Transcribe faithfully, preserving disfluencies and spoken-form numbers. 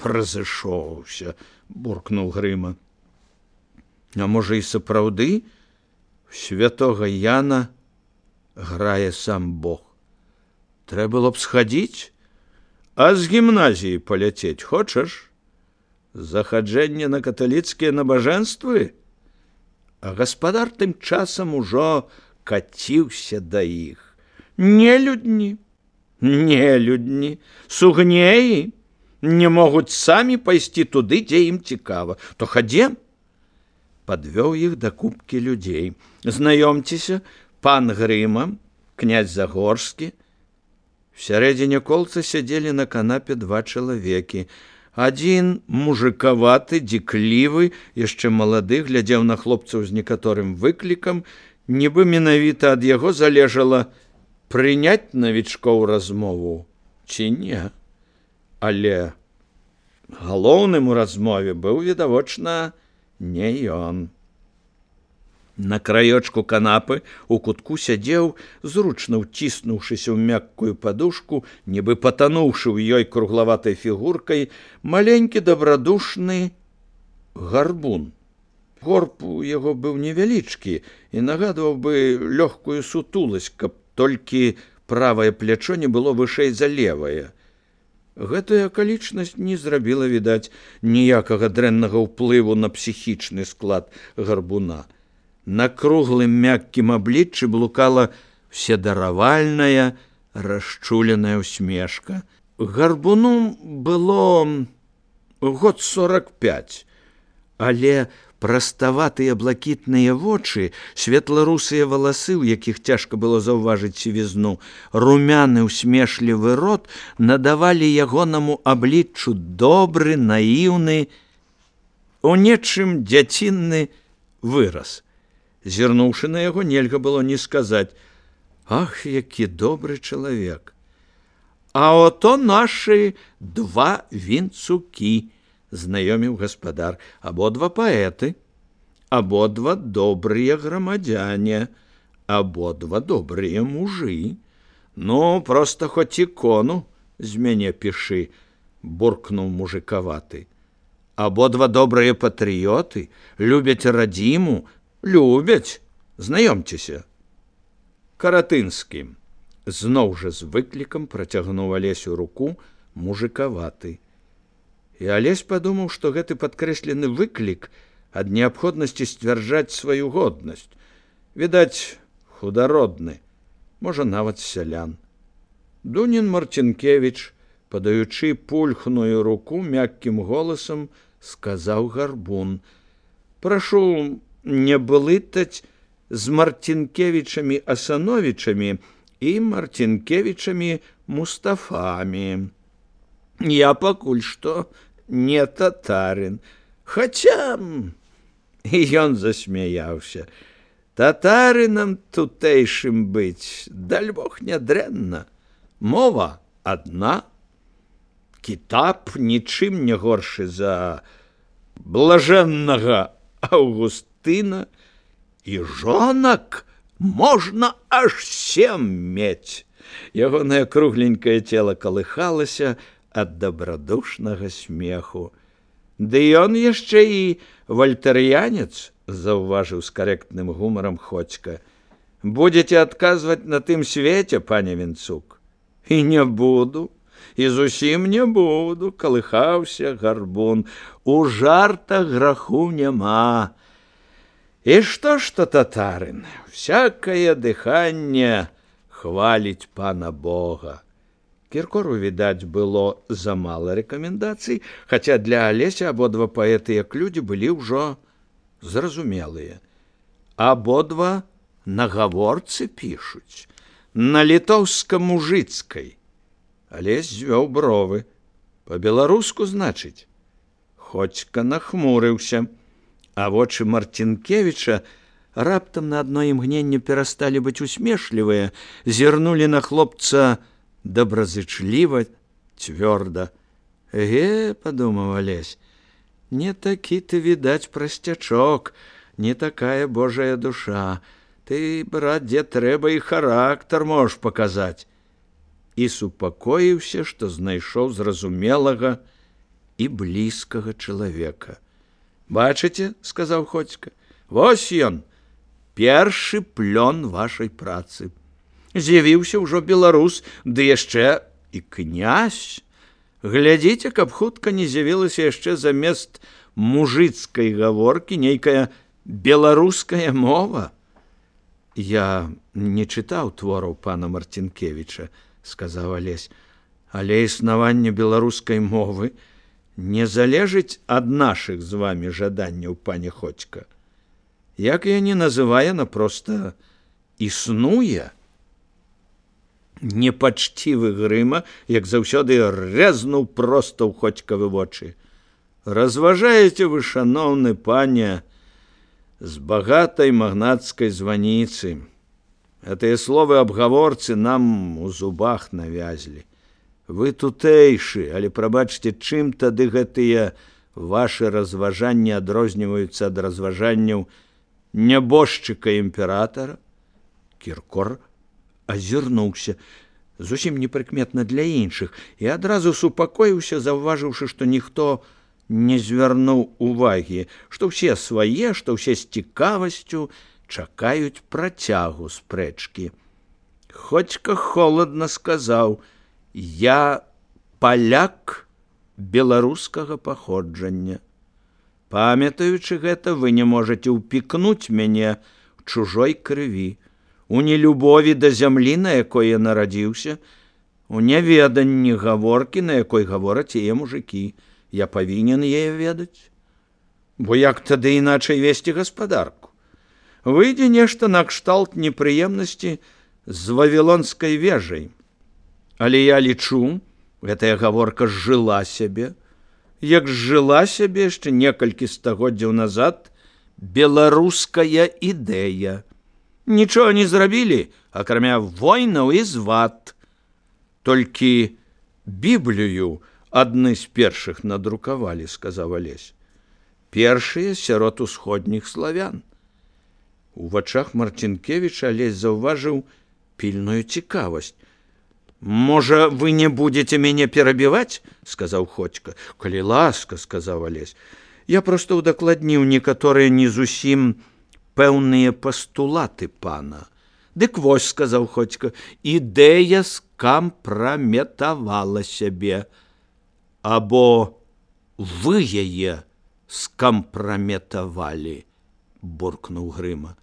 Разышоўся, буркнуў Грыма. А можа, і сапраўды святога Яна грае сам Бог. Трэба было б схадзіць, а з гімназіі паляцець хочаш? Захаджэнне на каталіцкія набажэнствы? А гаспадар тым часам ужо каціўся да іх. Нелюдні, нелюдні, сугнеі не могуць самі пайсці туды, дзе ім цікава. То хадзем. Падвёў іх да купкі людзей. Знаёмцеся, пан Грыма, князь Загорскі. В сярэдзіне колца сядзелі на канапе два чалавекі. Адзін мужыкаваты, дзіклівы, яшчэ малады, глядзеў на хлопцаў з некаторым выклікам, нібы менавіта ад яго залежала прыняць навічкоў размову ці не. Але галоўным у размове быў, відавочна, не ён. На краёчку канапы у кутку сядзеў, зручна ўціснуўшыся ў мяккую падушку, нібы патануўшы ў ёй круглаватай фігуркай, маленькі дабрадушны гарбун. Горб у яго быў невялічкі і нагадваў бы лёгкую сутуласць, каб толькі правае плячо не было вышэй за левае. Гэтая акалічнасць не зрабіла, відаць, ніякага дрэннага ўплыву на псіхічны склад гарбуна. На круглым мяккім абліччы блукала вседаравальная, расчуленая усмешка. Гарбуну было год сорок пять, але праставатыя блакітныя вочы, светла-русыя валасы, у якіх цяжка было заўважыць сівізну, румяны усмешлівы рот надавалі ягонаму абліччу добры, наіўны, у нечым дзяцінны выраз. Зірнуўшы на яго, нельга было не сказаць: «Ах, які добры чалавек! А ото нашы два вінцукі», знаёміў гаспадар, «абодва паэты, абодва добрыя грамадзяне, абодва добрыя мужы. Ну, проста хоць ікону з мяне пішы», буркнуў мужыкаваты. «Абодва добрыя патрыёты, любяць радзіму, любяць, знаёмцеся». Каратынскі зноў жа з выклікам працягнуў Алесю руку мужыкаваты. І Алесь падумаў, што гэты падкрэслены выклік ад неабходнасці сцвярджаць сваю годнасць. Відаць, худародны, можа, нават сялян. Дунін Марцінкевіч, падаючы пульхную руку, мяккім голасам сказаў гарбун: «Прашу не блытаць з Марцінкевічамі Асановічамі і Марцінкевічамі Мустафамі. Я пакуль што не татарин, хаця…» І ён засмяяўся. «Татарынам тутэйшым быць, даль Бог, нядрэнна. Мова адна, кітаб нічым не горшы за блажэннага Аўгустына, і жонак можна аж сем мець». Ягонае кругленькае цела калыхалася ад дабрадушнага смеху. «Ды ён яшчэ і вальтарыянец», заўважыў з карэктным гумарам Ходзька. «Будзеце адказваць на тым свеце, пане Вінцук?» «І не буду, і зусім не буду», калыхаўся гарбун. «У жартах граху няма. І што ж то татарын? Всякае дыханне хваліць пана Бога». Кіркору, відаць, было замала рэкамендацый, хаця для Алеся абодва паэты як людзі былі ўжо зразумелыя. Абодва на гаворцы пішуць, на літоўска-мужыцкай. Алесь звёў бровы. Па-беларуску, значыць? Ходзька нахмурыўся, а вочы Марцінкевіча раптам на адно імгненне перасталі быць усмешлівыя, зірнулі на хлопца добразычліва, цвёрда. «Ге, — падумаў Алесь, — не такі ты, відаць, прасцячок, не такая Божая душа. Ты, брат, дзе трэба, і характар можаш паказаць». І супакоіўся, што знайшоў зразумелага і блізкага чалавека. Бачыце, сказаў Ходзька, вось ён, першы плён вашай працы. З'явіўся ўжо беларус, ды яшчэ і князь. Глядзіце, каб хутка не з'явілася яшчэ замест мужыцкай гаворкі нейкая беларуская мова. Я не чытаў твораў пана Марцінкевіча, сказаў Алесь, але існаванне беларускай мовы не залежыць ад нашых з вами жаданняў, пане Ходзька. Як я не называю, яна проста існуе. Непачцівы Грыма, як заўсёды, рэзнуў проста ў Ходзькавы вочы. Разважаеце вы, шаноўны пане, з багатай магнацкай званіцы. Гэтыя словы аб гаворцы нам у зубах навязлі. Вы тутэйшы, але прабачце, чым тады гэтыя вашы разважанні адрозніваюцца ад разважанняў нябожчыка імператара? Кіркор азірнуўся, зусім непрыкметна для іншых, і адразу супакоіўся, заўважыўшы, што ніхто не звярнуў увагі, што ўсе свае, што ўсе з цікавасцю чакаюць працягу спрэчкі. Ходзька холадна сказаў: «Я паляк беларускага паходжання. Памятаючы гэта, вы не можаце ўпікнуць мяне ў чужой крыві, у нелюбові да зямлі, на якой я нарадзіўся, у няведанні гаворкі, на якой гавораць яе мужыкі. Я павінен яе ведаць. Бо як тады іначай весці гаспадарку? Выйдзе нешта накшталт непрыемнасці з вавілонскай вежай. Але я лічу, гэтая гаворка зжыла сябе, як зжыла сябе яшчэ некалькі стагоддзяў назад беларуская ідэя. Нічога не зрабілі, акрамя войнаў і звад. Толькі Біблію адны з першых надрукавалі, сказаў Алесь. Першыя сярод усходніх славян. У вачах Марцінкевіча Алесь заўважыў пільную цікавасць. «Можа, вы не будете мяне перабіваць?» – сказаў Ходзька. «Калі ласка», – сказаў Алесь. «Я проста ўдакладніў некаторыя не зусім пэўныя пастулаты пана». «Дык вось», – сказаў Ходзька, – «ідэя скампраметавала сябе». «Або вы яе скампраметавалі», – буркнуў Грыма.